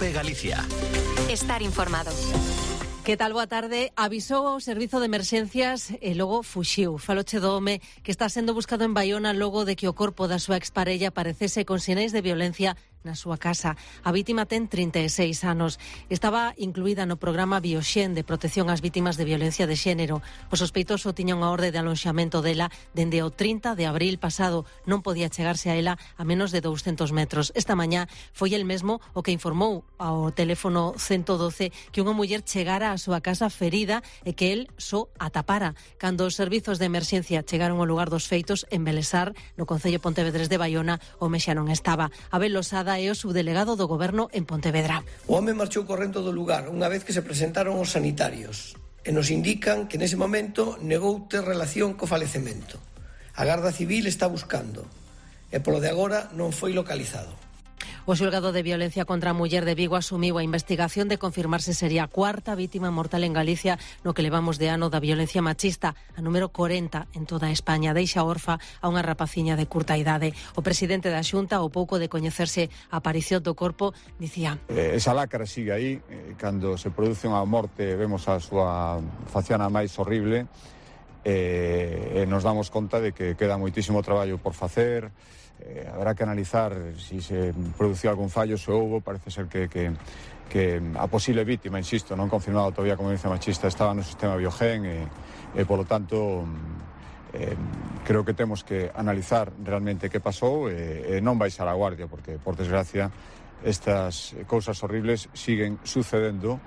de Galicia. Estar informado. Que tal? Boa tarde. Avisou o Servizo de Emerxencias e logo fuxiu. Faloche do home que está sendo buscado en Baiona logo de que o corpo da súa exparella aparecese con sinais de violencia na súa casa. A vítima ten 36 anos. Estaba incluída no programa Bioxen de protección ás vítimas de violencia de xénero. O sospeitoso tiña unha orde de alonxamento dela dende o 30 de abril pasado. Non podía chegarse a ela a menos de 200 metros. Esta mañá foi el mesmo o que informou ao teléfono 112 que unha muller chegara a súa casa ferida e que el só a tapara. Cando os servizos de emerxencia chegaron ao lugar dos feitos en Belesar, no concello Pontevedrés de Baiona, o home xa non estaba. Abel Losada é o subdelegado do Goberno en Pontevedra. O home marchou correndo do lugar unha vez que se presentaron os sanitarios e nos indican que nese momento negou ter relación co falecemento. A Garda Civil está buscando e polo de agora non foi localizado. O xulgado de violencia contra a muller de Vigo asumiu a investigación de confirmarse sería a cuarta vítima mortal en Galicia no que levamos de ano da violencia machista, a número 40 en toda España. Deixa orfa a unha rapaciña de curta idade. O presidente da Xunta, ao pouco de coñecerse a aparición do corpo, dicía: esa lacra sigue aí, cando se produce unha morte vemos a súa faciana máis horrible e nos damos conta de que queda moitísimo traballo por facer. Habrá que analizar si se produciu algún fallo, se houbo. Parece ser que a posible vítima, insisto, non confirmado todavía como violencia machista, estaba no sistema Biogen e polo tanto creo que temos que analizar realmente que pasou e non baixar a guardia, porque por desgracia estas cousas horribles siguen sucedendo.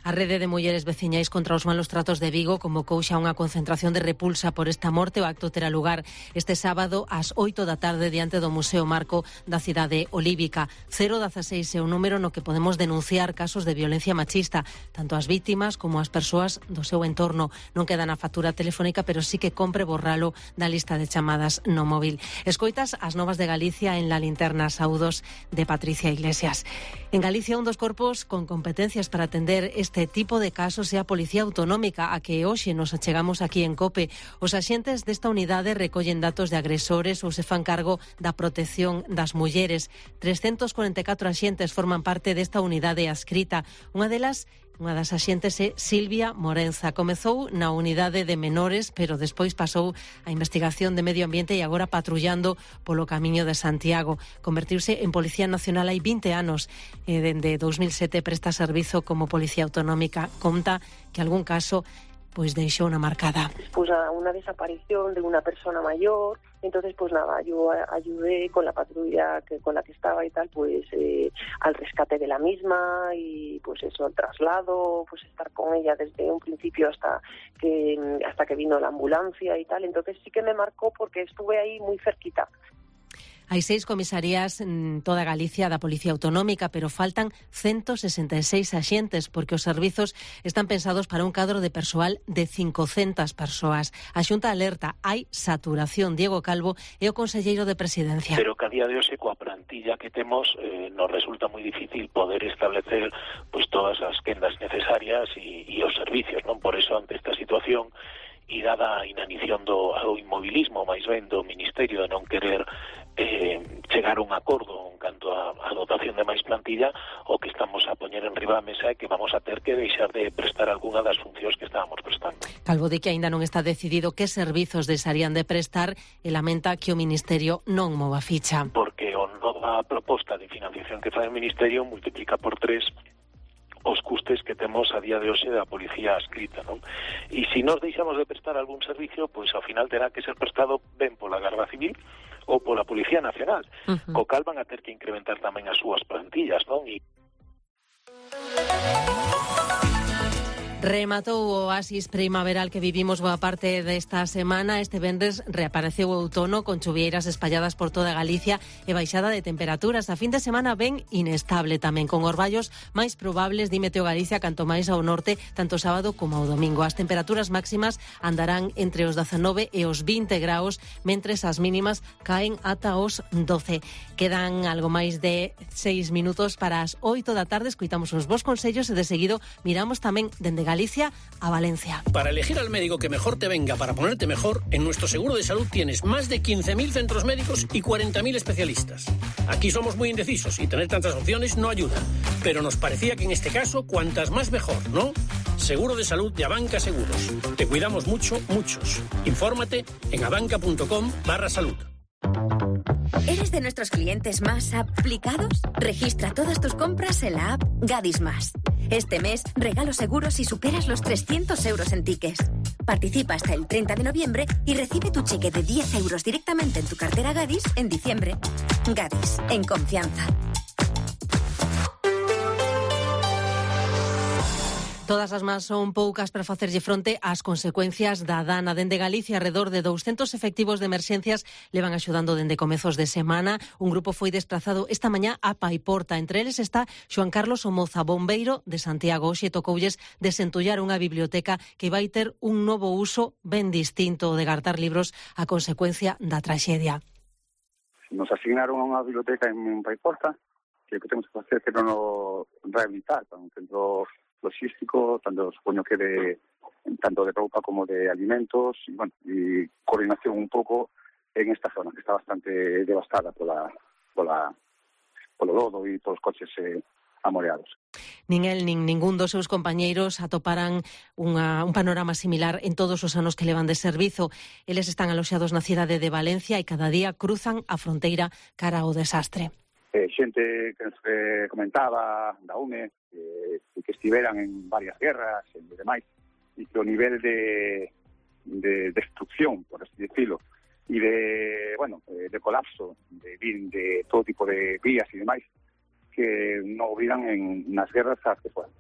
A rede de mulleres veciñais contra os malos tratos de Vigo convocou xa unha concentración de repulsa por esta morte. O acto terá lugar este sábado ás 8 da tarde diante do Museo Marco da cidade olívica. 016 é o número no que podemos denunciar casos de violencia machista, tanto as vítimas como as persoas do seu entorno. Non queda na factura telefónica, pero sí que compre borralo da lista de chamadas no móvil. Escoitas as novas de Galicia en La Linterna, saúdos de Patricia Iglesias. En Galicia, un dos corpos con competencias para atender este tipo de casos é a Policía Autonómica, a que hoxe nos achegamos aquí en COPE. Os axentes desta unidade recollen datos de agresores ou se fan cargo da protección das mulleres. 344 axentes forman parte desta unidade adscrita. Unha das axentes é Silvia Morenza. Comezou na unidade de menores, pero despois pasou a investigación de medio ambiente e agora patrullando polo camiño de Santiago. Convertiuse en Policía Nacional hai 20 anos. Dende 2007 presta servizo como Policía Autonómica. Conta que algún caso pues deixou una marcada. Pues a una desaparición de una persona mayor, entonces pues nada, yo ayudé con la patrulla con la que estaba y tal, pues al rescate de la misma y pues eso, el traslado, pues estar con ella desde un principio hasta que vino la ambulancia y tal. Entonces sí que me marcó porque estuve ahí muy cerquita. Hai 6 comisarías en toda Galicia da Policía Autonómica, pero faltan 166 axentes porque os servizos están pensados para un cadro de persoal de 500 persoas. A Xunta alerta, hai saturación. Diego Calvo é o conselleiro de Presidencia. Pero que a día de hoxe coa plantilla que temos nos resulta moi difícil poder establecer pues todas as quendas necesarias e os servicios, non? Por eso, ante esta situación e dada a inanición do inmobilismo máis ben do Ministerio de non querer chegar a un acordo en canto a dotación de máis plantilla, o que estamos a poñer en riba da mesa é que vamos a ter que deixar de prestar algunha das funcións que estábamos prestando. Calvo di que aínda non está decidido que servizos deixarían de prestar e lamenta que o Ministerio non mova ficha. Porque a nova proposta de financiación que fai o Ministerio multiplica por 3 os custes que temos a día de hoxe da policía adscrita, non? E se nos deixamos de prestar algún servicio, pois ao final terá que ser prestado ben pola Garda Civil ou pola Policía Nacional, co cal van a ter que incrementar tamén as súas plantillas, non? Rematou o oasis primaveral que vivimos boa parte desta semana. Este venres reapareceu o outono con chuvieiras espalladas por toda Galicia e baixada de temperaturas. A fin de semana ben inestable tamén, con orballos máis probables, di Meteo Galicia, canto máis ao norte, tanto sábado como ao domingo. As temperaturas máximas andarán entre os 19 e os 20 graus, mentres as mínimas caen ata os 12. Quedan algo máis de 6 minutos para as 8 da tarde. Escoitamos os vos consellos e de seguido miramos tamén dende Galicia Galicia a Valencia. Para elegir al médico que mejor te venga para ponerte mejor, en nuestro seguro de salud tienes más de 15.000 centros médicos y 40.000 especialistas. Aquí somos muy indecisos y tener tantas opciones no ayuda. Pero nos parecía que en este caso, cuantas más mejor, ¿no? Seguro de salud de Abanca Seguros. Te cuidamos mucho, muchos. Infórmate en abanca.com/salud. ¿Eres de nuestros clientes más aplicados? Registra todas tus compras en la app Gadis Más. Este mes regalo seguros si superas los 300 euros en tickets. Participa hasta el 30 de noviembre y recibe tu cheque de 10 euros directamente en tu cartera Gadis en diciembre. Gadis, en confianza. Todas as más son poucas para facerlle fronte ás consecuencias da dana. Dende Galicia, alrededor de 200 efectivos de emerxencias levan axudando dende comezos de semana. Un grupo foi desplazado esta mañá a Paiporta. Entre eles está Xoan Carlos Somoza, bombeiro de Santiago. Hoxe tocoulles desentullar unha biblioteca que vai ter un novo uso ben distinto de guardar libros a consecuencia da traxedia. Nos asignaron a unha biblioteca en Paiporta que temos que facer que non o rehabilitar, un centro logístico, tanto supoño que tanto de roupa como de alimentos, y coordinación un pouco en esta zona que está bastante devastada polo lodo e polos coches amoreados. Nin el nin ningún dos seus compañeiros atoparan un panorama similar en todos os anos que levan de servizo. Eles están aloxados na cidade de Valencia e cada día cruzan a fronteira cara ao desastre. Xente que nos comentaba da UME que estiveran en varias guerras e demais, e que o nivel de destrucción, por así decirlo, e de colapso de todo tipo de vías e demais, que non hubieran en nas guerras as que fueran.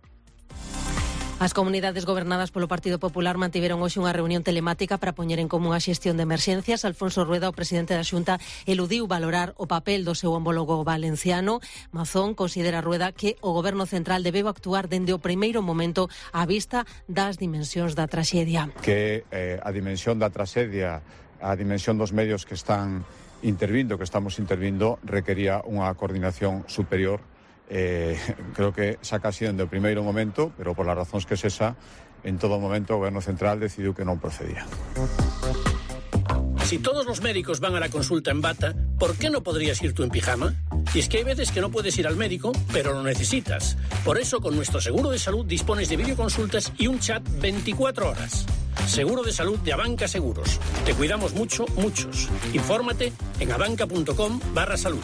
As comunidades gobernadas polo Partido Popular mantiveron hoxe unha reunión telemática para poñer en común a xestión de emerxencias. Alfonso Rueda, o presidente da Xunta, eludiu valorar o papel do seu homólogo valenciano. Mazón considera Rueda que o Goberno Central debeu actuar dende o primeiro momento á vista das dimensións da traxedia. Que a dimensión da traxedia, a dimensión dos medios que están intervindo, que estamos intervindo, requería unha coordinación superior. Creo que xa casi dende o primeiro momento, pero por las razóns que sexa, en todo momento o Goberno Central decidiu que non procedía. Si todos los médicos van a la consulta en bata, ¿por qué no podrías ir tú en pijama? Y es que hay veces que no puedes ir al médico, pero lo necesitas. Por eso, con nuestro seguro de salud dispones de videoconsultas y un chat 24 horas. Seguro de salud de Abanca Seguros. Te cuidamos mucho, muchos. Infórmate en abanca.com/salud.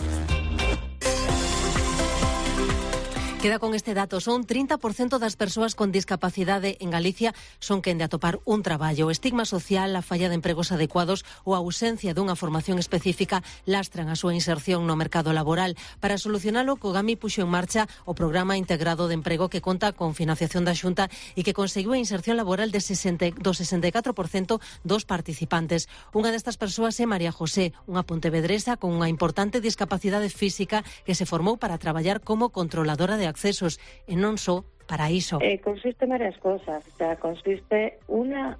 Queda con este dato, son 30% das persoas con discapacidade en Galicia son quen de atopar un traballo. O estigma social, a falla de empregos adecuados ou a ausencia dunha formación específica lastran a súa inserción no mercado laboral. Para solucionalo, Cogami puxo en marcha o Programa Integrado de Emprego que conta con financiación da Xunta e que conseguiu a inserción laboral do 64% dos participantes. Unha destas persoas é María José, unha pontevedresa con unha importante discapacidade física que se formou para traballar como controladora de accesos e non só para iso. Consiste en varias cosas. O sea, consiste una,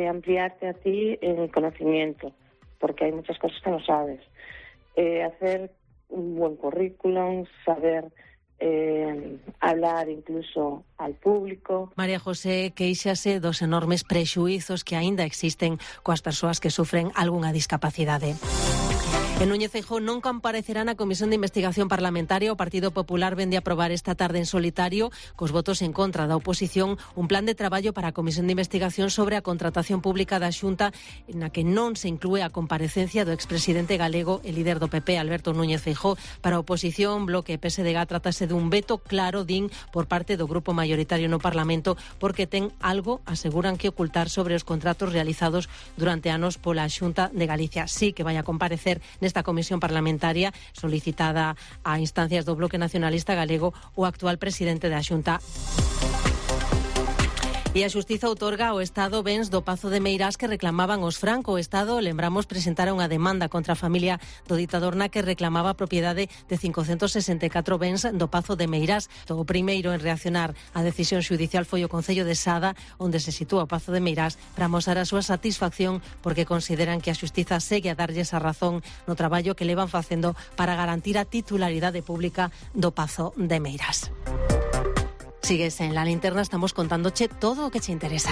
ampliarte a ti el conocimiento, porque hay muchas cosas que no sabes. Hacer un buen currículum, saber hablar incluso al público. María José queixase dos enormes prexuizos que aínda existen coas persoas que sufren algunha discapacidade. En Núñez Feijóo non comparecerá na Comisión de Investigación Parlamentaria. O Partido Popular vende a aprobar esta tarde en solitario, cos votos en contra da oposición, un plan de traballo para a Comisión de Investigación sobre a contratación pública da Xunta, na que non se inclúe a comparecencia do expresidente galego e líder do PP, Alberto Núñez Feijóo. Para a oposición, Bloque e PSDG trátase dun veto claro, din, por parte do grupo mayoritario no Parlamento, porque ten algo, aseguran, que ocultar sobre os contratos realizados durante anos pola Xunta de Galicia. Sí que vai a comparecer nesta comisión parlamentaria solicitada a instancias do Bloque Nacionalista Galego o actual presidente da Xunta. E a Xustiza outorga ao Estado bens do Pazo de Meirás que reclamaban os Franco. O Estado, lembramos, presentara unha demanda contra a familia do ditador na que reclamaba a propiedade de 564 bens do Pazo de Meirás. O primeiro en reaccionar á decisión xudicial foi o Concello de Sada, onde se sitúa o Pazo de Meirás, para mostrar a súa satisfacción porque consideran que a Xustiza segue a darlles a razón no traballo que levan facendo para garantir a titularidade pública do Pazo de Meirás. Sigues en La Linterna, estamos contándoche todo o que te interesa.